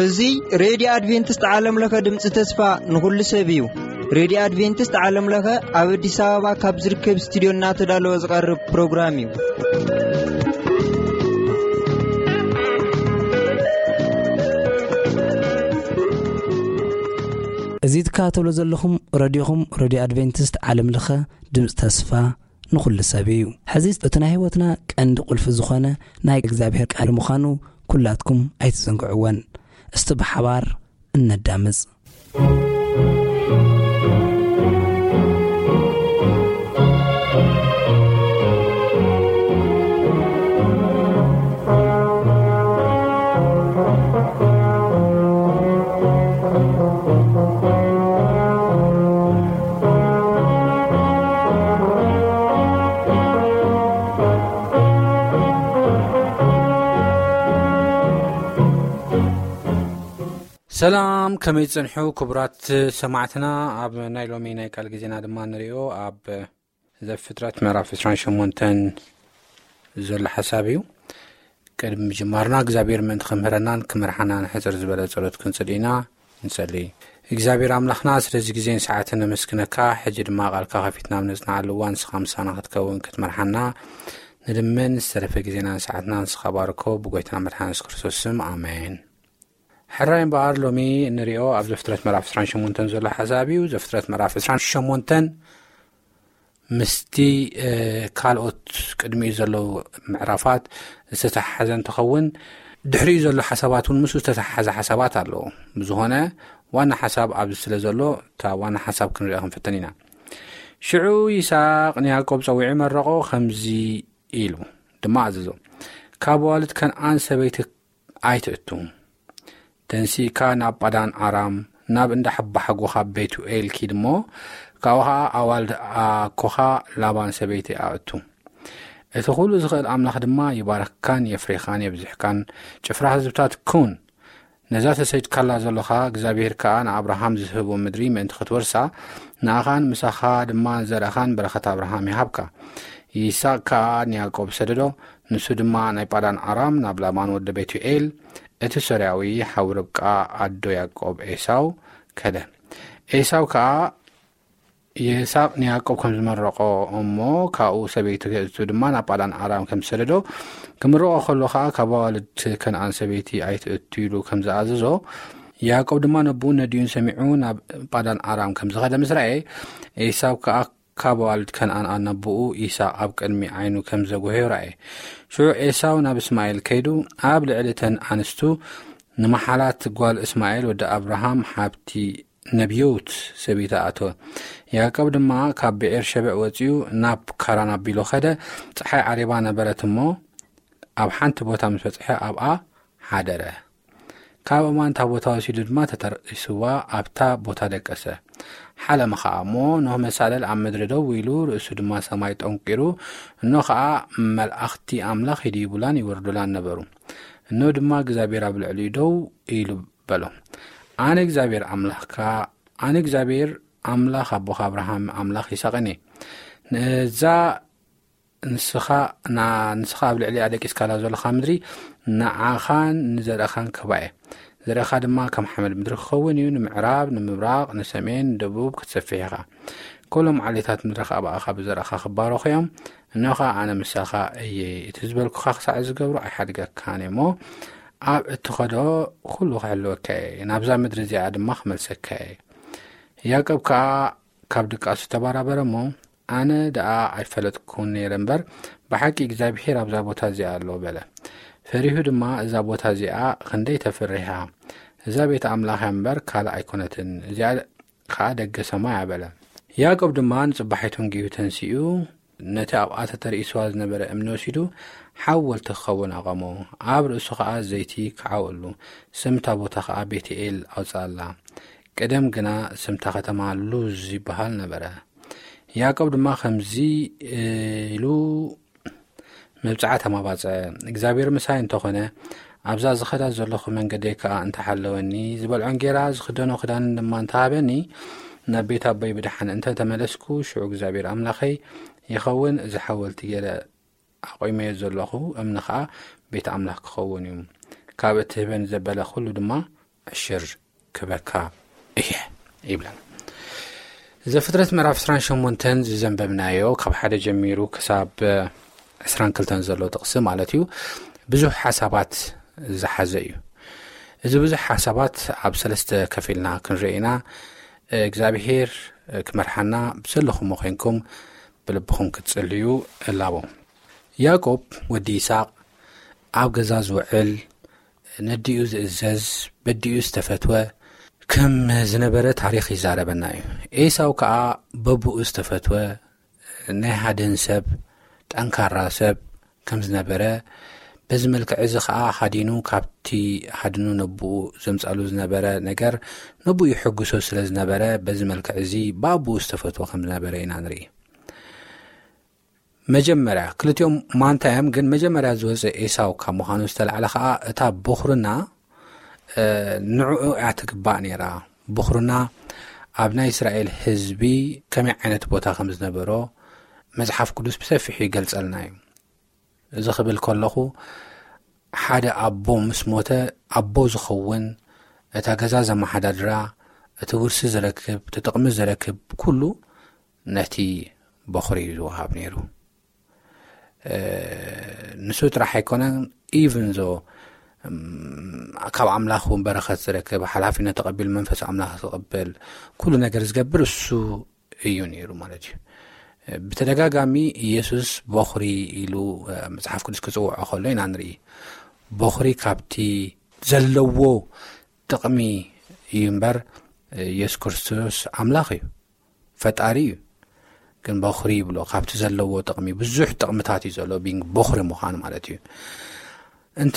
እዚ ሬድዮ ኣድቬንቲስት ዓለም ለኸ ድምፂ ተስፋ ንኹሉ ሰብ እዩ። ሬድዮ ኣድቬንቲስት ዓለም ለኸ ኣብ ኣዲስ ኣበባ ካብ ዝርከብ ስቱዲዮ እናተዳለወ ዝቐርብ ፕሮግራም እዩ። እዚ ትከታተሎ ዘለኹም ረድዮኹም፣ ረድዮ ኣድቬንቲስት ዓለም ለኸ ድምፂ ተስፋ ንኹሉ ሰብ እዩ። ሕዚ እቲ ናይ ህይወትና ቀንዲ ቁልፊ ዝኾነ ናይ እግዚኣብሔር ቃል ምዃኑ ኩላትኩም ኣይትዘንግዕወን። እስቲ ብሓባር እነዳምፅ። ሰላም፣ ከመይ ትጸንሑ ክቡራት ሰማዕትና? ኣብ ናይ ሎሚ ናይ ቃል ግዜና ድማ ንሪኦ ኣብ ዘፍጥረት ምዕራፍ ዕስራን ሸሞንተን ዘሎ ሓሳብ እዩ። ቅድሚ ምጅማርና እግዚኣብሔር ምእንቲ ክምህረናን ክመርሓናን ሕጽር ዝበለ ጸሎት ክንጽል ኢና። ንጸሊ። እግዚኣብሔር ኣምላኽና ስለዚ ግዜን ሰዓትን ነመስግነካ። ሕጂ ድማ ቃልካ ከፊትና ኣብ ነጽንዓሉ እዋን ንስኻ ምሳና ክትከውን ክትመርሓና ንልምን። ዝተረፈ ግዜናን ሰዓትና ንስኻ ባርኮ። ብጎይታና መድሓን የሱስ ክርስቶስ ስም ኣሜን። ሕራይ እምበኣር ሎሚ እንሪኦ ኣብ ዘፍጥረት ምዕራፍ ዕስራን ሸሞንተን ዘሎ ሓሳብ እዩ። ዘፍጥረት ምዕራፍ ዕስራን ሸሞንተን ምስቲ፣ እ፣ ካልኦት ቅድሚኡ ዘለዉ ምዕራፋት ዝተተሓሓዘ እንትኸውን፣ ድሕሪኡ ዘሎ ሓሳባት እውን ምስኡ ዝተተሓሓዘ ሓሳባት ኣለዎ። ብዝኾነ ዋና ሓሳብ ኣብዚ ስለ ዘሎ፣ እታ ዋና ሓሳብ ክንሪኣ ክንፍትን ኢና። ሽዑ ይስሐቅ ንያዕቆብ ጸዊዑ መረቖ፣ ከምዚ ኢሉ ድማ ኣዘዞ፣ ካብ ኣዋልድ ከነኣን ሰበይቲ ኣይትእቱ። ተንሲእካ ናብ ጳዳን ኣራም፣ ናብ እንዳ ሓባሓጎኻ ቤቱኤል ኪድ እሞ፣ ካብኡ ኸዓ ኣዋልድ ኣኮኻ ላባን ሰበይቲ ኣእቱ። እቲ ኹሉ ዝኽእል ኣምላኽ ድማ ይባርኽካን የፍሬኻን የብዝሕካን፣ ጭፍራ ህዝብታት ኩን። ነዛ ተሰይድካላ ዘሎኻ እግዚኣብሄር ከኣ ንኣብርሃም ዝህቦ ምድሪ ምእንቲ ክትወርሳ፣ ንኣኻን ምሳኻ ድማ ንዘርእኻን በረኸት ኣብርሃም ይሃብካ። ይስሐቅ ከኣ ንያዕቆብ ሰደዶ፣ ንሱ ድማ ናይ ጳዳን ኣራም ናብ ላባን ወዲ ቤቱኤል፣ እቲ ሶርያዊ፣ ሓው ርብቃ ኣዶ ያዕቆብ ኤሳው ከደ። ኤሳው ከኣ ይስሐቅ ንያዕቆብ ከም ዝመረቖ እሞ ካብኡ ሰበይቲ ክእቱ ድማ ናብ ጳዳን ኣራም ከም ዝሰደዶ፣ ክምርቖ ከሎ ከኣ ካብ ኣዋልድ ከነኣን ሰበይቲ ኣይትእቱ ኢሉ ከም ዝኣዘዞ፣ ያዕቆብ ድማ ነብኡን ነዲኡን ሰሚዑ ናብ ጳዳን ኣራም ከም ዝኸደ ምስ ረኣየ፣ ኤሳው ከኣ ካብ ኣዋልድ ከነኣን ኣነብኡ ይስሐቅ ኣብ ቅድሚ ዓይኑ ከም ዘጉህዮ ረኣየ። ሽዑ ኤሳው ናብ እስማኤል ከይዱ፣ ኣብ ልዕሊ እተን ኣንስቱ ንመሓላት ጓል እስማኤል ወዲ ኣብርሃም፣ ሓብቲ ነብዮት ሰበይቲ ኣተወ። ያዕቆብ ድማ ካብ ብኤር ሸበዕ ወጺኡ ናብ ካራን ኣቢሉ ኸደ። ጸሓይ ዓሪባ ነበረት እሞ፣ ኣብ ሓንቲ ቦታ ምስ በጽሐ ኣብኣ ሓደረ። ካብ እማን እታ ቦታ ወሲዱ ድማ ተጠርዒስዋ ኣብታ ቦታ ደቀሰ። ሓለመ ኸኣ እሞ፣ ኖህ መሳልል ኣብ ምድሪ ደው ኢሉ፣ ርእሱ ድማ ሰማይ ጠንቂሩ፣ እኖ ኸኣ መላእኽቲ ኣምላኽ ይድይቡላን ይወርዱላን ነበሩ። እኖ ድማ እግዚኣብሔር ኣብ ልዕሊኡ ደው ኢሉ በሎ። ኣነ እግዚኣብሔር ኣምላኽካ፣ ኣነ እግዚኣብሔር ኣምላኽ ኣቦኻ ኣብርሃም ኣምላኽ ይስሐቅን እየ። ነዛ ንስኻ፣ ና-፣ ንስኻ ኣብ ልዕሊኣ ደቂስካላ ዘለኻ ምድሪ ንዓኻን ንዘርእኻን ክህባ እየ። ዘርእኻ ድማ ከም ሓመድ ምድሪ ክኸውን እዩ። ንምዕራብ፣ ንምብራቕ፣ ንሰሜን፣ ንደቡብ ክትሰፍሕ ኢኻ። ኩሎም ዓሌታት ምድሪ ኸኣ ብኣኻ ብዘርእኻ ክባረኹ እዮም። እንሆ ኸኣ ኣነ ምሳኻ እየ። እቲ ዝበልኩኻ ክሳዕ ዝገብሮ ኣይሓድገካን እየ እሞ፣ ኣብ እትኸዶ ኩሉ ክሕልወካ እየ። ናብዛ ምድሪ እዚኣ ድማ ክመልሰካ እየ። ያዕቆብ ከኣ ካብ ድቃሱ ተባራበረ እሞ፣ ኣነ ደኣ ኣይፈለጥኩን ነይረ እምበር፣ ብሓቂ እግዚኣብሄር ኣብዛ ቦታ እዚኣ ኣሎ በለ። ፈሪሁ ድማ፣ እዛ ቦታ እዚኣ ክንደይ ተፍርህ እያ! እዛ ቤት ኣምላኽ እያ እምበር ካልእ ኣይኮነትን። እዚኣ ኸኣ ደገ ሰማይ እያ በለ። ያዕቆብ ድማ ንጽባሒቱ እንጊሁ ተንሲኡ፣ ነቲ ኣብኣ ተተርኢስዋ ዝነበረ እምኒ ወሲዱ፣ ሓወልቲ ክኸውን ኣቐሞ። ኣብ ርእሱ ኸኣ ዘይቲ ከዓወሉ። ስም እታ ቦታ ኸኣ ቤትኤል ኣውጽኣላ። ቅደም ግና ስም እታ ኸተማ ሉዝ ይበሃል ነበረ። ያዕቆብ ድማ ከምዚ ኢሉ መብጽዓ ተማባጽዐ፣ እግዚኣብሔር ምሳይ እንተኾነ፣ ኣብዛ ዝኸዳ ዘለኹ መንገደይ ከኣ እንተሓለወኒ፣ ዝበልዖ እንጌራ፣ ዝኽደኖ ክዳንን ድማ እንተሃበኒ፣ ናብ ቤት ኣቦይ ብደሓን እንተ ተመለስኩ፣ ሽዑ እግዚኣብሔር ኣምላኸይ ይኸውን፣ እዚ ሓወልቲ ገለ ኣቑመዮ ዘለኹ እምኒ ኸዓ ቤት ኣምላኽ ክኸውን እዩ። ካብ እትህበኒ ዘበለ ኩሉ ድማ ዕሽር ክበካ እየ ይብለን። ዘፍጥረት ምዕራፍ ዕስራን ሸሞንተን ዝዘንበብናዮ ካብ ሓደ ጀሚሩ ክሳብ ዕስራን ክልተን ዘሎ ጥቕሲ ማለት እዩ፣ ብዙሕ ሓሳባት ዝሓዘ እዩ። እዚ ብዙሕ ሓሳባት ኣብ ሰለስተ ከፊልና ክንርኢ ኢና። እግዚኣብሔር ክመርሓና ብዘለኹሞ ኮይንኩም ብልብኹም ክትጽልዩ እላቦ። ያዕቆብ ወዲ ይስሐቅ ኣብ ገዛ ዝውዕል፣ ነዲኡ ዝእዘዝ፣ በዲኡ ዝተፈትወ ከም ዝነበረ ታሪኽ ይዛረበና እዩ። ኤሳው ከኣ በብኡ ዝተፈትወ፣ ናይ ሃድን ሰብ፣ ጠንካራ ሰብ ከም ዝነበረ፣ በዚ መልክዕ እዚ ከኣ ሃዲኑ ካብቲ ሃድኑ ነብኡ ዘምጻሉ ዝነበረ ነገር ነብኡ ይሕጉሶ ስለ ዝነበረ፣ በዚ መልክዕ እዚ ብኣቦኡ ዝተፈትወ ከም ዝነበረ ኢና ንርኢ። መጀመርያ ክልቲኦም ማንታ እዮም፣ ግን መጀመርያ ዝወፀ ኤሳው ካብ ምዃኑ ዝተላዕለ ከዓ እታ ቦኽርና፣ እ፣ ንዕኡ እያ ትግባእ ነይራ። ቦኽርና ኣብ ናይ እስራኤል ህዝቢ ከመይ ዓይነት ቦታ ከም ዝነበሮ መጽሓፍ ቅዱስ ብሰፊሑ ይገልጸልና እዩ። እዚ ክብል ከለኹ፣ ሓደ ኣቦ ምስ ሞተ፣ ኣቦ ዝኸውን፣ እታ ገዛ ዘመሓዳድራ፣ እቲ ውርሲ ዝረክብ፣ እቲ ጥቕሚ ዝረክብ ኩሉ ነቲ በኹሪ እዩ ዝወሃብ ነይሩ። እ፣ ንሱ ጥራሕ ኣይኮነን፣ ኢቭን ዞ፣ እም፣ ካብ ኣምላኽ እውን በረኸት ዝረክብ፣ ሓላፊነት ተቐቢሉ መንፈስ ኣምላኽ ዝቕበል፣ ኩሉ ነገር ዝገብር እሱ እዩ ነይሩ ማለት እዩ። ብተደጋጋሚ ኢየሱስ በኹሪ ኢሉ፣ እ፣ መጽሓፍ ቅዱስ ክጽውዖ ከሎ ኢና ንርኢ። በኹሪ ካብቲ ዘለዎ ጥቕሚ እዩ እምበር፣ ኢየሱስ ክርስቶስ ኣምላኽ እዩ፣ ፈጣሪ እዩ። ግን በኹሪ ይብሎ፣ ካብቲ ዘለዎ ጥቕሚ፣ ብዙሕ ጥቕምታት እዩ ዘሎ ቢንግ በኹሪ ምዃን ማለት እዩ። እንተ፣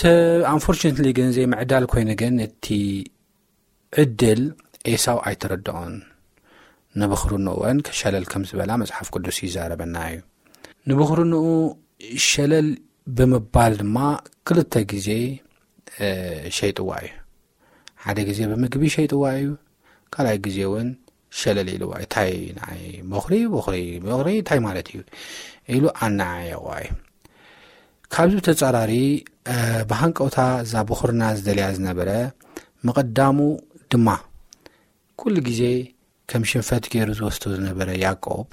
ኣንፎርቹነትሊ ግን ዘይምዕዳል ኮይኑ ግን እቲ ዕድል ኤሳው ኣይተረድኦን። ንብኽርንኡ እውን ከሸለል ከም ዝበላ መጽሓፍ ቅዱስ ይዛረበና እዩ። ንብኽርንኡ ሸለል ብምባል ድማ ክልተ ግዜ፣ እ፣ ሸይጥዋ እዩ። ሓደ ግዜ ብምግቢ ሸይጥዋ እዩ። ካልኣይ ግዜ እውን ሸለል ኢልዋ እዩ። "እንታይ ንዓይ በኹሪ፣ በኹሪ፣ በኹሪ እንታይ ማለት እዩ?" ኢሉ ኣነዓየዋ እዩ። ካብዚ ብተጻራሪ፣ እ፣ ብሃንቀውታ እዛ በኹርና ዝደልያ ዝነበረ፣ ምቕዳሙ ድማ ኩሉ ግዜ ከም ሽንፈት ገይሩ ዝወስዶ ዝነበረ ያዕቆብ፣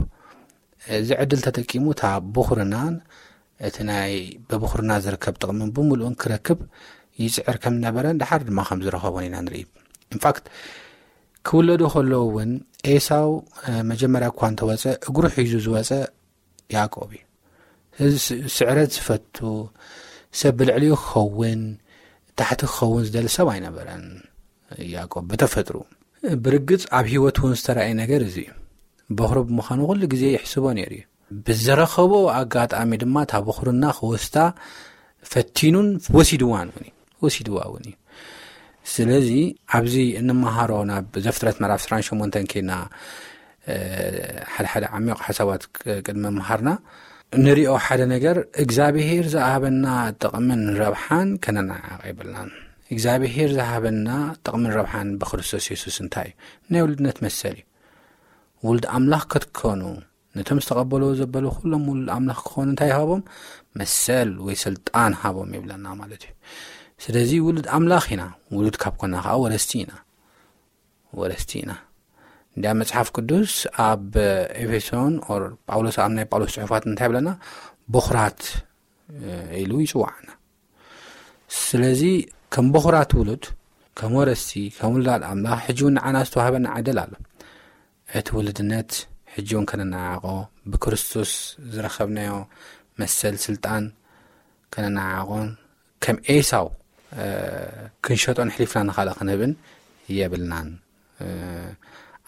እዚ ዕድል ተጠቂሙ እታ በኹርናን እቲ ናይ በብኹርና ዝርከብ ጥቕምን ብምሉእን ክረክብ ይጽዕር ከም ነበረን፣ ደሓር ድማ ከም ዝረኸቦን ኢና ንርኢ። ኢንፋክት፣ ክውለዱ ከለዉ እውን ኤሳው፣ እ፣ መጀመርያ እኳ እንተወጸ፣ እግሩ ሒዙ ዝወጸ ያዕቆብ እዩ። እዚ ስ-፣ ስዕረት ዝፈቱ፣ ሰብ ብልዕሊኡ ክኸውን፣ ታሕቲ ክኸውን ዝደሊ ሰብ ኣይነበረን ያዕቆብ ብተፈጥሩ። ብርግጽ ኣብ ህይወቱ እውን ዝተራእየ ነገር እዚ እዩ። በኹሪ ብምዃኑ ኩሉ ግዜ ይሕስቦ ነይሩ እዩ። ብዝረኸቦ ኣጋጣሚ ድማ እታ በኹርና ክወስዳ ፈቲኑን ወሲድዋን እውን እዩ። ወሲድዋ እውን እዩ። ስለዚ ኣብዚ እንመሃሮ ናብ ዘፍጥረት ምዕራፍ ዕስራን ሸሞንተን ኬና፣ እ፣ ሓደ ሓደ ዓሚቕ ሓሳባት ቅ-፣ ቅድሚ ምሃርና ንሪኦ ሓደ ነገር፣ እግዚኣብሄር ዝሃበና ጥቕምን ረብሓን ከነነዓቕ የብልናን። እግዚኣብሄር ዝሃበና ጥቕምን ረብሓን ብክርስቶስ የሱስ እንታይ እዩ? ናይ ውልድነት መሰል እዩ። ውሉድ ኣምላኽ ክትኮኑ፣ ነቶም ዝተቐበልዎ ዘበሉ ኩሎም ውሉድ ኣምላኽ ክኾኑ እንታይ ሃቦም? መሰል ወይ ስልጣን ሃቦም ይብለና ማለት እዩ። ስለዚ ውሉድ ኣምላኽ ኢና። ውሉድ ካብ ኮና ከዓ ወረስቲ ኢና። ወረስቲ ኢና። እንዲያ መጽሓፍ ቅዱስ ኣብ ኤፌሶን ኦር ጳውሎስ፣ ኣብ ናይ ጳውሎስ ጽሑፋት እንታይ ይብለና? በኹራት፣ እ፣ ኢሉ ይጽውዓና። ስለዚ ከም በኹራት ውሉድ፣ ከም ወረስቲ፣ ከም ውሉዳት ኣምላኽ ሕጂ እውን ንዓና ዝተዋህበና ዕድል ኣሎ። እቲ ውሉድነት ሕጂ እውን ከነነዓቆ፣ ብክርስቶስ ዝረኸብናዮ መሰል ስልጣን ከነነዓቆን ከም ኤሳው፣ እ፣ ክንሸጦን ሕሊፍና ንኻልእ ክንህብን የብልናን። እ፣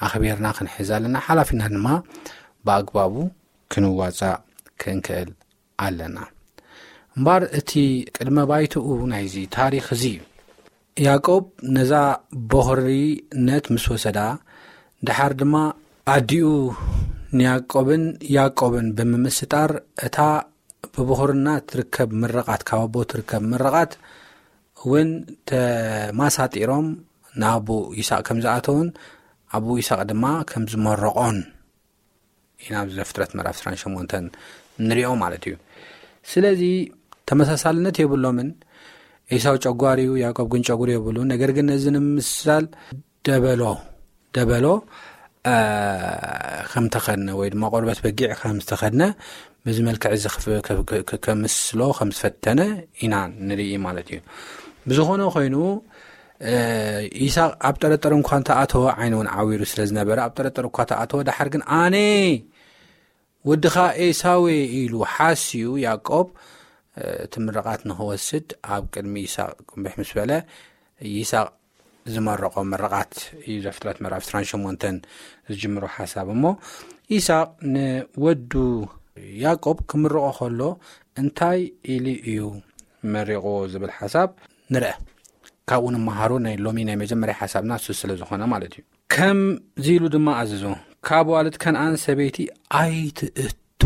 ኣኽቢርና ክንሕዝ ኣለና። ሓላፊና ድማ ብኣግባቡ ክንዋጻእ ክንክእል ኣለና። እምበኣር እቲ ቅድመ ባይትኡ ናይዚ ታሪኽ እዚ እዩ። ያዕቆብ ነዛ በኹርነት ምስ ወሰዳ፣ ደሓር ድማ ኣዲኡ ንያዕቆብን ያዕቆብን ብምምስጣር፣ እታ ብበኹርና ትርከብ ምርቓት፣ ካብ ኣቦ ትርከብ ምርቓት እውን ተማሳጢሮም ንኣቦ ይስሐቅ ከም ዝኣተውን ኣብኡ ይስሐቅ ድማ ከም ዝመረቆን ኢና ኣብዚ ዘፍጥረት ምዕራፍ ዕስራን ሸሞንተን ንሪኦ ማለት እዩ። ስለዚ ተመሳሳልነት የብሎምን። ኤሳው ጨጓር እዩ፣ ያዕቆብ ግን ጨጉሪ የብሉን። ነገር ግን ነዚ ንምስል ደበሎ ደበሎ ከም ተኸድነ ወይ ድማ ቆርበት በጊዕ ከም ዝተኸድነ፣ በዚ መልክዕ እዚ ከምስሎ ከም ዝፈተነ ኢና ንርኢ ማለት እዩ። ብዝኾነ ኮይኑ፣ ይስሐቅ ኣብ ጥርጥር እንኳ እንተኣተወ፣ ዓይኑ እውን ዓዊሩ ስለ ዝነበረ፣ ኣብ ጥርጥር እኳ ተኣተወ፣ ደሓር ግን ኣነ ወድኻ ኤሳው ኢሉ ሓስዩ፣ ያዕቆብ እቲ ምርቓት ንኽወስድ ኣብ ቅድሚ ይስሐቅ ቁምብሕ ምስ በለ፣ ይስሐቅ ዝመረቆ ምርቓት እዩ ዘፍጥረት ምዕራፍ ዕስራን ሸሞንተን ዝጅምሮ ሓሳብ። እሞ ይስሐቅ ንወዱ ያዕቆብ ክምርቆ ከሎ እንታይ ኢሉ እዩ መሪቆ ዝብል ሓሳብ ንርአ። ካብኡ ንመሃሮ። ናይ ሎሚ ናይ መጀመርያ ሓሳብና እሱ ስለ ዝኾነ ማለት እዩ። ከምዚ ኢሉ ድማ ኣዘዞ፣ ካብ ዋልድ ከነኣን ሰበይቲ ኣይትእቱ።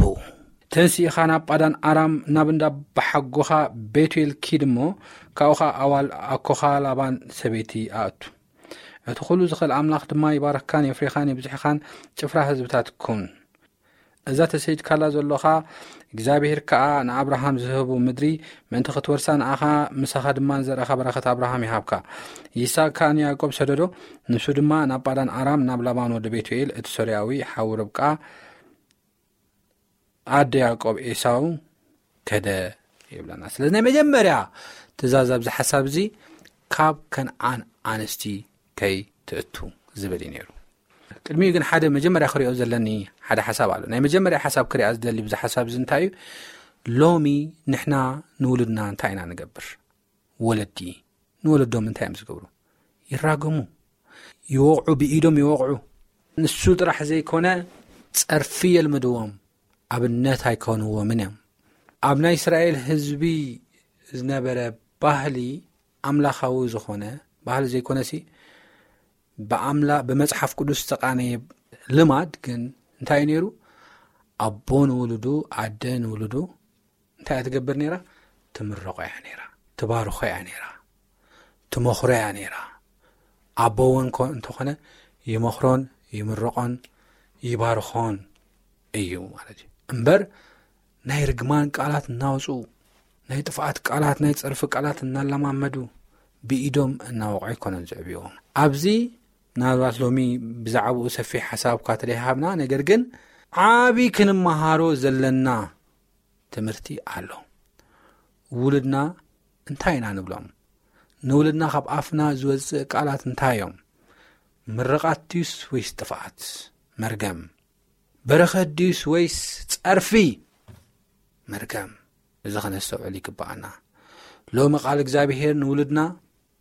ተንሲእኻ ናብ ጳዳን ኣራም ናብ እንዳ ባሓጎኻ ቤቱኤል ኪድ እሞ፣ ካብኡ ኸኣ ኣዋል ኣኮኻ ላባን ሰበይቲ ኣእቱ። እቲ ኩሉ ዝኽእል ኣምላኽ ድማ ይባርኽካን የፍሪኻን የብዝሕኻን ጭፍራ ህዝብታት ኩን። እዛ ተሰይድካላ ዘሎኻ እግዚኣብሔር ከኣ ንኣብርሃም ዝህቡ ምድሪ ምእንቲ ክትወርሳ ንኣኻ ምሳኻ ድማ ንዘርእኻ በረኸት ኣብርሃም ይሃብካ። ይስሐቅ ከኣ ንያዕቆብ ሰደዶ፣ ንሱ ድማ ናብ ጳዳን ኣራም ናብ ላባን ወዲ ቤቱኤል እቲ ሶርያዊ ሓው ርብቃ ኣደ ያዕቆብ ኤሳው ከደ ይብለና። ስለዚ ናይ መጀመርያ ትእዛዝ ኣብዚ ሓሳብ እዚ ካብ ከነኣን ኣንስቲ ከይትእቱ ዝብል እዩ ነይሩ። ቅድሚኡ ግን ሓደ መጀመርያ ክሪኦ ዘለኒ ሓደ ሓሳብ ኣሎ። ናይ መጀመርያ ሓሳብ ክሪኣ ዝደሊ ብዚ ሓሳብ እዚ እንታይ እዩ? ሎሚ ንሕና ንውሉድና እንታይ ኢና ንገብር? ወለዲ ንወለዶም እንታይ እዮም ዝገብሩ? ይራገሙ፣ ይወቕዑ፣ ብኢዶም ይወቕዑ። ንሱ ጥራሕ ዘይኮነ ጸርፊ የልምድዎም፣ ኣብነት ኣይኮንዎምን እዮም። ኣብ ናይ እስራኤል ህዝቢ ዝነበረ ባህሊ ኣምላኻዊ ዝኾነ ባህሊ ዘይኮነሲ ብኣምላ ብመጽሓፍ ቅዱስ ዝተቃነየ ልማድ ግን እንታይ እዩ ነይሩ? ኣቦ ንውሉዱ ኣደ ንውሉዱ እንታይ እያ ትገብር ነይራ? ትምረቆ እያ ነይራ፣ ትባርኾ እያ ነይራ፣ ትመኽሮ እያ ነይራ። ኣቦ እውን ኮ- እንተኾነ ይመኽሮን ይምርቆን ይባርኾን እዩ ማለት እዩ። እምበር ናይ ርግማን ቃላት እናወፁ ናይ ጥፍኣት ቃላት ናይ ፀርፊ ቃላት እናለማመዱ ብኢዶም እናወቑ ኣይኮነን ዘዕብዎም። ኣብዚ ምናልባት ሎሚ ብዛዕባኡ ሰፊሕ ሓሳብ እኳ ተደይሃብና፣ ነገር ግን ዓቢ ክንመሃሮ ዘለና ትምህርቲ ኣሎ። ውሉድና እንታይ ኢና ንብሎም? ንውሉድና ካብ ኣፍና ዝወፅእ ቃላት እንታይ እዮም? ምርቓት ድዩስ ወይስ ጥፍኣት? መርገም። በረኸት ድዩስ ወይስ ጸርፊ? መርገም። እዚ ኸነስተውዕል ይግብኣና። ሎሚ ቓል እግዚኣብሔር ንውሉድና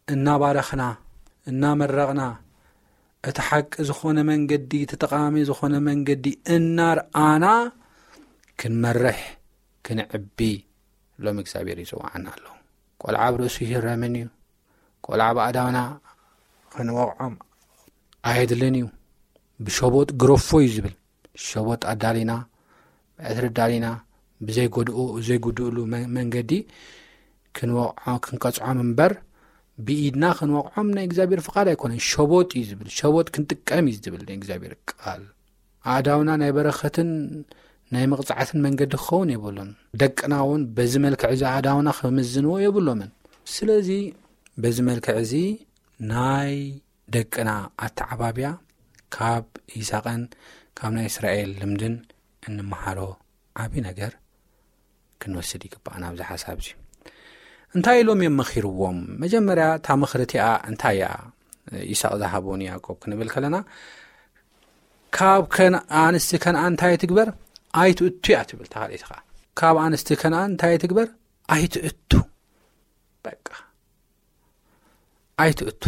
እናባረኽና፣ እናመረቕና፣ እቲ ሓቂ ዝኾነ መንገዲ፣ እቲ ጠቓሚ ዝኾነ መንገዲ እናርኣና ክንመርሕ፣ ክንዕቢ ሎሚ እግዚኣብሔር ይጽውዓና ኣሎ። ቆልዓ ኣብ ርእሱ ይህረምን እዩ። ቆልዓ ብኣእዳውና ክንወቕዖም ኣየድልን እዩ። ብሸቦጥ ግረፎ እዩ ዝብል። ሸቦጥ ኣዳሊና፣ በትሪ ኣዳሊና፣ ብዘይጎድኡ-፣ ዘይጉድእሉ መ-፣ መንገዲ ክንወቕዖ-፣ ክንቀጽዖም እምበር፣ ብኢድና ክንወቕዖም ናይ እግዚኣብሔር ፍቓድ ኣይኮነን። ሸቦጥ እዩ ዝብል። ሸቦጥ ክንጥቀም እዩ ዝብል ናይ እግዚኣብሔር ቃል። ኣእዳውና ናይ በረኸትን ናይ መቕጻዕትን መንገዲ ክኸውን የብሉን። ደቅና እውን በዚ መልክዕ እዚ ኣእዳውና ክምዝንዎ የብሎምን። ስለዚ በዚ መልክዕ እዚ ናይ ደቅና ኣተዓባብያ ካብ ይስሐቅን ካብ ናይ እስራኤል ልምድን እንመሃሮ ዓቢ ነገር ክንወስድ ይግባእ። ናብዚ ሓሳብ እዚ እንታይ ኢሎም እዮም መኺርዎም? መጀመርያ እታ ምኽሪ እቲኣ እንታይ እያ ይስሐቅ ዝሃቦ ንያዕቆብ ክንብል ከለና፣ ካብ ከን-፣ ኣንስቲ ከነኣን እንታይ ትግበር? ኣይትእቱ እያ ትብል። ተኻሊትኻ ካብ ኣንስቲ ከነኣን እንታይ ትግበር? ኣይትእቱ። በቃ ኣይትእቱ።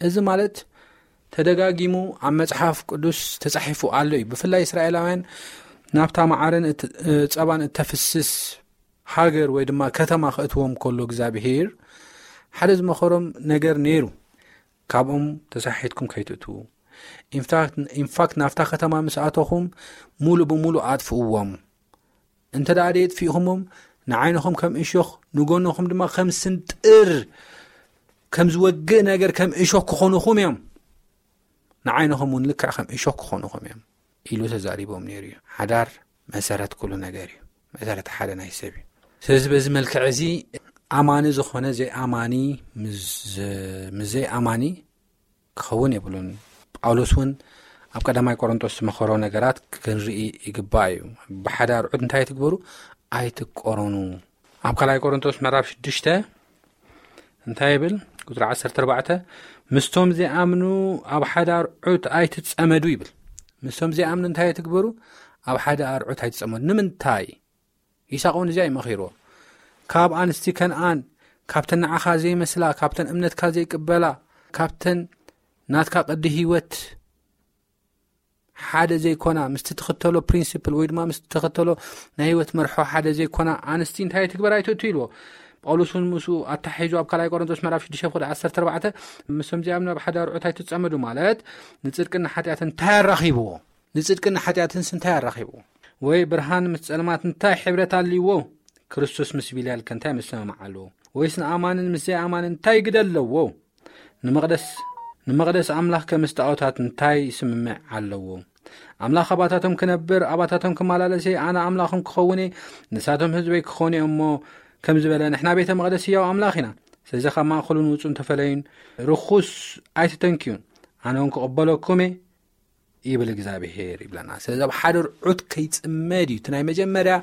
እዚ ማለት ተደጋጊሙ ኣብ መጽሓፍ ቅዱስ ተጻሒፉ ኣሎ እዩ። ብፍላይ እስራኤላውያን ናብታ መዓርን እት-፣ ጸባን እተፍስስ ሃገር ወይ ድማ ከተማ ክእትዎም ከሎ እግዚኣብሔር ሓደ ዝመኸሮም ነገር ነይሩ። ካብኦም ተሳሒትኩም ከይትእትዉ። ኢንፋክት፣ ኢንፋክት ናብታ ከተማ ምስ ኣተኹም ሙሉ ብሙሉ ኣጥፍእዎም። እንተ ደኣ ደየጥፊእኹሞም ንዓይንኹም ከም እሾኽ ንጎንኹም ድማ ከም ስንጥር ከም ዝወግእ ነገር ከም እሾኽ ክኾኑኹም እዮም። ንዓይንኹም እውን ልክዕ ከም እሾክ ክኾኑኹም እዮም ኢሉ ተዛሪቦም ነይሩ እዩ። ሓዳር መሰረት ኩሉ ነገር እዩ። መሰረት ሓደ ናይ ሰብ እዩ። ስለዚ በዚ መልክዕ እዚ ኣማኒ ዝኾነ ዘይኣማኒ ምስ ምስ ዘይኣማኒ ክኸውን የብሉን። ጳውሎስ እውን ኣብ ቀዳማይ ቆሮንቶስ ዝመኸሮ ነገራት ክንርኢ ይግባእ እዩ። ብሓዳር ዑድ እንታይ ትግበሩ? ኣይትቆረኑ። ኣብ ካልኣይ ቆሮንቶስ ምዕራፍ ሽዱሽተ እንታይ ይብል? ቁፅሪ ዓሰርተ ኣርባዕተ፣ ምስቶም ዘይኣምኑ ኣብ ሓደ ኣርዑት ኣይትጸመዱ ይብል። ምስቶም ዘይኣምኑ እንታይ ትግበሩ? ኣብ ሓደ ኣርዑት ኣይትጸመዱ። ንምንታይ? ይስሐቅ እውን እዚኣ ይመኺርዎ። ካብ ኣንስቲ ከነኣን፣ ካብተን ንዓኻ ዘይመስላ፣ ካብተን እምነትካ ዘይቅበላ፣ ካብተን ናትካ ቅዲ ህይወት ሓደ ዘይኮና፣ ምስቲ ትኽተሎ ፕሪንሲፕል ወይ ድማ ምስቲ ትኽተሎ ናይ ህይወት መርሖ ሓደ ዘይኮና ኣንስቲ እንታይ ትግበር ኣይትእቱ ኢልዎ። ጳውሎስ እውን ምስኡ ኣተሓሒዙ ኣብ ካልኣይ ቆሮንቶስ ምዕራፍ ሽዱሽተ ቁጥሪ ዓሰርተ ኣርባዕተ፣ ምስቶም እዚኣም ናብ ሓደ ኣርዑት ኣይትጸመዱ ማለት ንጽድቅን ንሓጢኣትን እንታይ ኣራኺብዎ? ንጽድቅን ንሓጢኣትንስ እንታይ ኣራኺብዎ? ወይ ብርሃን ምስ ጸልማት እንታይ ሕብረት ኣልዎ? ክርስቶስ ምስ ቢልያል ከ እንታይ ምስምማዕ ኣለዎ? ወይስ ንኣማንን ምስ ዘይኣማንን እንታይ ግደ ኣለዎ? ንመቕደስ ንመቕደስ ኣምላኽ ከ ምስ ጣዖታት እንታይ ስምምዕ ኣለዎ? ኣምላኽ ኣባታቶም ክነብር ኣባታቶም ክመላለሰ ኣነ ኣምላኽም ክኸውን እየ፣ ንሳቶም ህዝበይ ክኾኑ እዮም እሞ ከም ዝበለ ንሕና ቤተ መቕደስ ህያው ኣምላኽ ኢና። ስለዚ ካብ ማእኸሉን ውፁን ተፈለዩን ርኹስ ኣይትተንክዩን፣ ኣነ እውን ክቕበለኩም እየ ይብል እግዚኣብሄር ይብለና። ስለዚ ኣብ ሓደ ርዑት ከይጽመድ እዩ እቲ ናይ መጀመርያ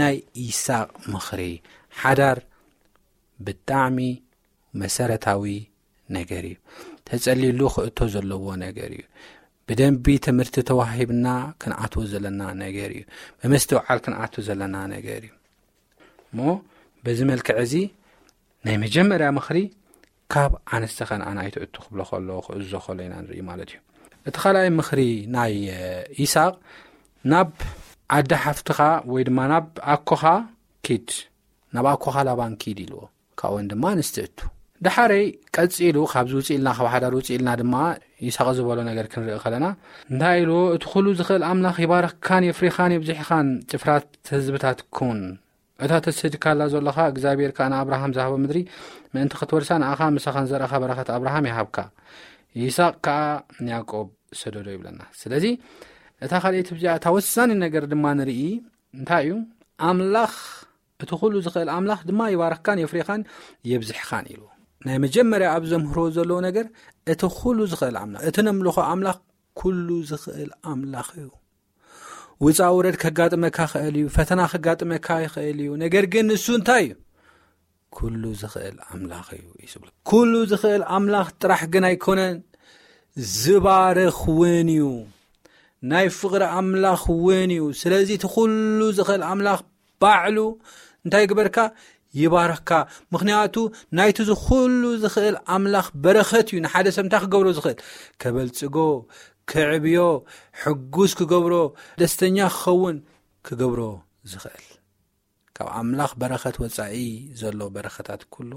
ናይ ይስሐቅ ምኽሪ። ሓዳር ብጣዕሚ መሰረታዊ ነገር እዩ። ተጸሊሉ ክእቶ ዘለዎ ነገር እዩ። ብደንቢ ትምህርቲ ተዋሂብና ክንኣትዎ ዘለና ነገር እዩ። ብምስትውዓል ክንኣትዎ ዘለና ነገር እዩ። እሞ በዚ መልክዕ እዚ ናይ መጀመርያ ምኽሪ ካብ ኣንስቲ ከነኣን ኣይትእቱ ክብሎ ከሎ ክእዞ ከሎ ኢና ንርኢ ማለት እዩ። እቲ ካልኣይ ምኽሪ ናይ ይስሐቅ ናብ ዓዲ ሓፍትኻ ወይ ድማ ናብ ኣኮኻ ኪድ፣ ናብ ኣኮኻ ላባን ኪድ ኢልዎ። ካብኡን ድማ ኣንስቲ እቱ። ደሓረይ ቀጺሉ ካብዚ ውፅእ ኢልና ካብ ሓዳር ውፅእ ኢልና ድማ ይስሐቅ ዝበሎ ነገር ክንርኢ ከለና እንታይ ኢልዎ? እቲ ኩሉ ዝኽእል ኣምላኽ ይባርኽካን የፍሪኻን የብዝሕኻን፣ ጭፍራት ህዝብታት ኩን። እታ ተሰዲካላ ዘለኻ እግዚኣብሔር ከኣ ንኣብርሃም ዝሃቦ ምድሪ ምእንቲ ክትወርሳ ንኣኻ ምሳኻን ዘርእኻ በረኸት ኣብርሃም ይሃብካ፣ ይስሐቅ ከኣ ንያዕቆብ ሰደዶ ይብለና። ስለዚ እታ ካልኣይቲ ብዚኣ እታ ወሳኒ ነገር ድማ ንርኢ እንታይ እዩ? ኣምላኽ እቲ ኩሉ ዝኽእል ኣምላኽ ድማ ይባርኽካን የፍሪኻን የብዝሕኻን ኢሉ። ናይ መጀመርያ ኣብ ዘምህሮ ዘለዎ ነገር እቲ ኩሉ ዝኽእል ኣምላኽ፣ እቲ ነምልኾ ኣምላኽ ኩሉ ዝኽእል ኣምላኽ እዩ። ውፃ ውረድ ከጋጥመካ ይኽእል እዩ፣ ፈተና ከጋጥመካ ይኽእል እዩ። ነገር ግን ንሱ እንታይ እዩ? ኩሉ ዝኽእል ኣምላኽ እዩ እዩ ዝብሎ። ኩሉ ዝኽእል ኣምላኽ ጥራሕ ግን ኣይኮነን፣ ዝባርኽ እውን እዩ። ናይ ፍቕሪ ኣምላኽ እውን እዩ። ስለዚ እቲ ኩሉ ዝኽእል ኣምላኽ ባዕሉ እንታይ ይግበርካ? ይባርኽካ። ምኽንያቱ ናይቲ ዝኹሉ ዝኽእል ኣምላኽ በረኸት እዩ ንሓደ ሰብ እንታይ ክገብሮ ዝኽእል? ከበልጽጎ፣ ከዕብዮ፣ ሕጉስ ክገብሮ፣ ደስተኛ ክኸውን ክገብሮ ዝኽእል። ካብ ኣምላኽ በረኸት ወጻኢ ዘሎ በረኸታት ኩሉ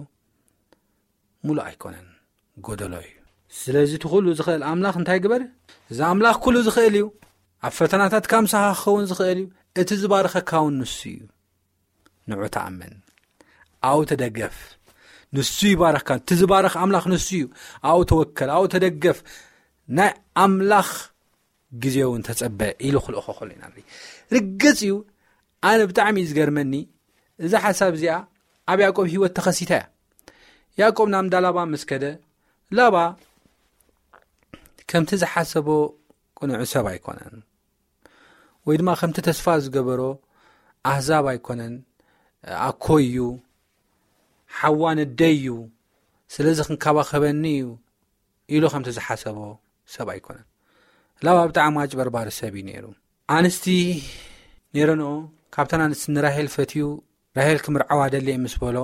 ሙሉእ ኣይኮነን፣ ጎደሎ እዩ። ስለዚ እቲ ኩሉ ዝኽእል ኣምላኽ እንታይ ግበር? እዚ ኣምላኽ ኩሉ ዝኽእል እዩ። ኣብ ፈተናታትካ ምሳኻ ክኸውን ዝኽእል እዩ። እቲ ዝባርኸካ እውን ንሱ እዩ። ንዑ ተኣመን። ኣብኡ ተደገፍ። ንሱ ይባርኽካ። እቲ ዝባርኽ ኣምላኽ ንሱ እዩ። ኣብኡ ተወከል፣ ኣብኡ ተደገፍ። ናይ ኣምላኽ ግዜ እውን ተጸበ ኢሉ ክልእኾ ከሎ ኢና ንርኢ። ርግጽ እዩ። ኣነ ብጣዕሚ እዩ ዝገርመኒ። እዛ ሓሳብ እዚኣ ኣብ ያዕቆብ ህይወት ተኸሲታ እያ። ያዕቆብ ናብ እንዳ ላባ ምስ ከደ፣ ላባ ከምቲ ዝሓሰቦ ቅኑዕ ሰብ ኣይኮነን። ወይ ድማ ከምቲ ተስፋ ዝገበሮ ኣህዛብ ኣይኮነን። ኣኮይ እዩ፣ ሓዋ ነደይ እዩ፣ ስለዚ ክንከባኸበኒ እዩ ኢሉ ከምቲ ዝሓሰቦ ሰብ ኣይኮነን። ላባ ብጣዕሚ ኣጭበርባሪ ሰብ እዩ ነይሩ። ኣንስቲ ነይረንኦ፣ ካብተን ኣንስቲ ንራሄል ፈትዩ፣ ራሄል ክምርዓዋ ደልየ ምስ በሎ፣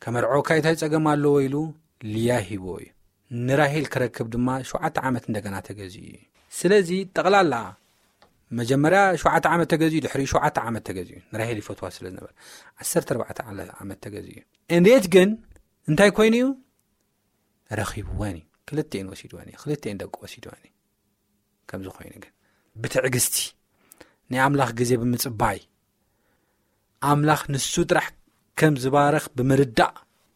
ከመርዓወካ እንታይ ጸገም ኣለዎ ኢሉ ልያ ሂብዎ እዩ። ንራሄል ክረክብ ድማ ሸውዓተ ዓመት እንደገና ተገዚኡ እዩ። ስለዚ ጠቕላላ መጀመርያ ሸውዓተ ዓመት ተገዚኡ፣ ድሕሪ ሸውዓተ ዓመት ተገዚኡ፣ ንራሄል ይፈትዋ ስለ ዝነበረ ዓሰርተ ኣርባዕተ ዓለ-፣ ዓመት ተገዚኡ እዩ። እንዴት ግን እንታይ ኮይኑ እዩ? ረኺብወን እዩ። ክልተኤን ወሲድወን እዩ። ክልተኤን ደቂ ወሲድወን እዩ። ከምዚ ኮይኑ ግን ብትዕግስቲ ናይ ኣምላኽ ግዜ ብምጽባይ፣ ኣምላኽ ንሱ ጥራሕ ከም ዝባርኽ ብምርዳእ፣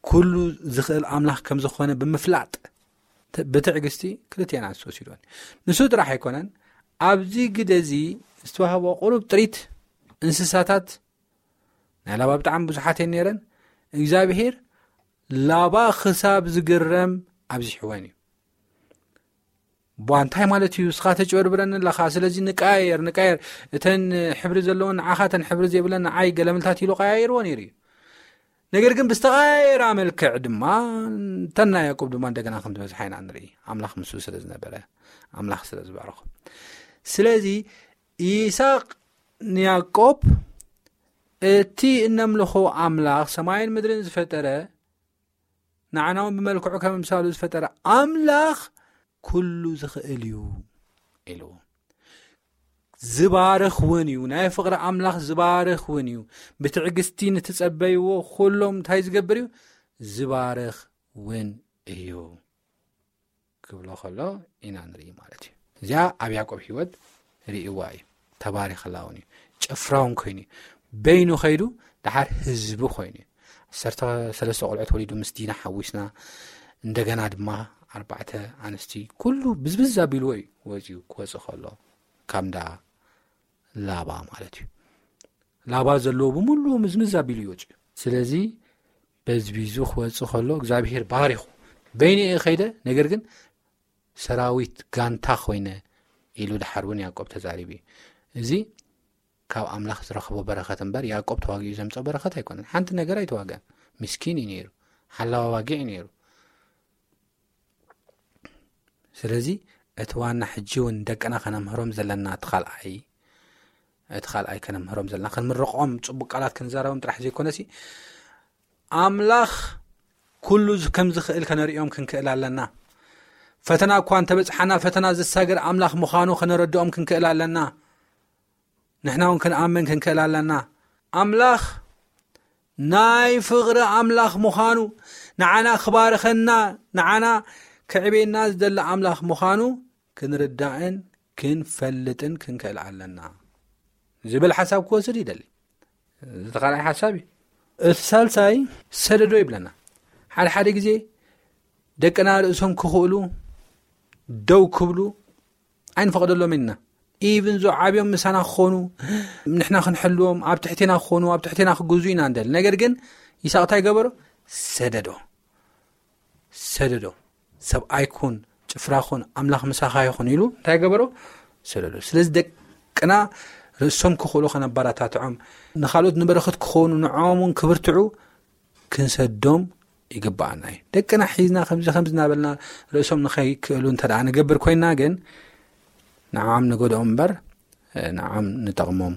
ኩሉ ዝኽእል ኣምላኽ ከም ዝኾነ ብምፍላጥ፣ ብትዕግስቲ ክልቲኤን ኣንስቲ ወሲድወን። ንሱ ጥራሕ ኣይኮነን፣ ኣብዚ ግደ እዚ ዝተዋህቦ ቁሩብ ጥሪት እንስሳታት ናይ ላባ ብጣዕሚ ብዙሓት እየን ነይረን። እግዚኣብሄር ላባ ክሳብ ዝግረም ኣብዚሕወን እዩ። ቧ እንታይ ማለት እዩ? እስኻ ተጭበርብረኒ ኣለኻ። ስለዚ ንቃየር ንቃየር፣ እተን ሕብሪ ዘለወን ንዓኻ፣ እተን ሕብሪ ዘይብለን ንዓይ ገለምልታት ኢሉ ቀያይርዎ ነይሩ እዩ። ነገር ግን ብዝተቐያየራ መልክዕ ድማ እተን ናይ ያዕቆብ ድማ እንደገና ከም ዝበዝሓ ኢና ንርኢ። ኣምላኽ ምስኡ ስለ ዝነበረ፣ ኣምላኽ ስለ ዝባረኹ። ስለዚ ይስሐቅ ንያዕቆብ እቲ እነምልኾ ኣምላኽ ሰማይን ምድርን ዝፈጠረ፣ ንዓና እውን ብመልክዑ ከም ምሳሉ ዝፈጠረ ኣምላኽ ኩሉ ዝኽእል እዩ ኢሉ። ዝባርኽ እውን እዩ። ናይ ፍቕሪ ኣምላኽ ዝባርኽ እውን እዩ። ብትዕግስቲ ንትጸበይዎ ኩሎም እንታይ ዝገብር እዩ? ዝባርኽ እውን እዩ ክብሎ ከሎ ኢና ንርኢ ማለት እዩ። እዚኣ ኣብ ያዕቆብ ህይወት ርእይዋ እዩ። ተባሪኽላ እውን እዩ። ጭፍራ እውን ኮይኑ እዩ። በይኑ ከይዱ ደሓር ህዝቢ ኮይኑ እዩ። ዓሰርተ ሰለስተ ቆልዑት ወሊዱ ምስ ዲና ሓዊስና፣ እንደገና ድማ ኣርባዕተ ኣንስቲ፣ ኩሉ ብዝብዝ ኣቢልዎ እዩ ወፂኡ ክወፅእ ከሎ፣ ካብ እንዳ ላባ ማለት እዩ። ላባ ዘለዎ ብምሉኡ ምዝምዝ ኣቢሉ እዩ ወፂኡ። ስለዚ በዝቢዙ ክወፅእ ከሎ እግዚኣብሄር ባሪኹ፣ በይነ እየ ከይደ፣ ነገር ግን ሰራዊት ጋንታ ኮይነ ኢሉ ድሓር እውን ያዕቆብ ተዛሪቡ እዩ። እዚ ካብ ኣምላኽ ዝረኸቦ በረኸት እምበር ያዕቆብ ተዋጊኡ ዘምፀኦ በረኸት ኣይኮነን። ሓንቲ ነገር ኣይተዋገአን። ምስኪን እዩ ነይሩ። ሓላዋ ዋጊዕ እዩ ነይሩ። ስለዚ እቲ ዋና ሕጂ እውን ደቅና ከነምህሮም ዘለና እቲ ካልኣይ፣ እቲ ካልኣይ ከነምህሮም ዘለና፣ ክንምርቆም፣ ፅቡቅ ቃላት ክንዛረቦም ጥራሕ ዘይኮነሲ፣ ኣምላኽ ኩሉ ዝ-፣ ከም ዝኽእል ከነርእዮም ክንክእል ኣለና። ፈተና እኳ እንተበጽሓና፣ ፈተና ዘሳገር ኣምላኽ ምዃኑ ከነረድኦም ክንክእል ኣለና። ንሕና እውን ክንኣምን ክንክእል ኣለና። ኣምላኽ ናይ ፍቕሪ ኣምላኽ ምዃኑ፣ ንዓና ክባርኸና፣ ንዓና ከዕቤና ዝደሊ ኣምላኽ ምዃኑ ክንርዳእን ክንፈልጥን ክንክእል ኣለና ዝብል ሓሳብ ክወስድ ይደሊ። እዚ እቲ ካልኣይ ሓሳብ እዩ። እቲ ሳልሳይ ሰደዶ ይብለና። ሓደ ሓደ ግዜ ደቅና ርእሶም ክኽእሉ፣ ደው ክብሉ ኣይንፈቕደሎም ኢና። ኢቭን ዞ ዓብዮም ምሳና ክኾኑ፣ ንሕና ክንሕልዎም፣ ኣብ ትሕቴና ክኾኑ፣ ኣብ ትሕቴና ክግዙ ኢና እንደል። ነገር ግን ይስሐቅ እንታይ ገበሮ? ሰደዶ። ሰደዶ። ሰብኣይ ኩን፣ ጭፍራ ኩን፣ ኣምላኽ ምሳኻ ይኹን ኢሉ እንታይ ገበሮ? ሰደዶ። ስለዚ ደቅና ርእሶም ክኽእሉ ከነበረታትዖም፣ ንኻልኦት ንበረኸት ክኾኑ፣ ንዕኦም እውን ክብርትዑ ክንሰዶም ይግባኣና እዩ። ደቅና ሒዝና ከምዚ ከምዚ እናበልና ርእሶም ንኸይክእሉ እንተ ደኣ ንገብር ኮይንና ግን ንዕኦም ንጎድኦም እምበር፣ እ፣ ንዕኦም ንጠቕሞም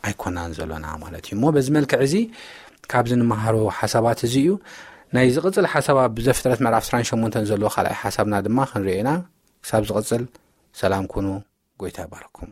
ኣይኮናን ዘሎና ማለት እዩ። እሞ በዚ መልክዕ እዚ ካብዚ ንመሃሮ ሓሳባት እዚ እዩ። ናይ ዝቕጽል ሓሳብ ኣብ ዘፍጥረት ምዕራፍ ዕስራን ሸሞንተን ዘለዎ ካልኣይ ሓሳብና ድማ ክንሪኦ ኢና። ክሳብ ዝቕጽል ሰላም ኩኑ። ጎይታ ይባርኩም።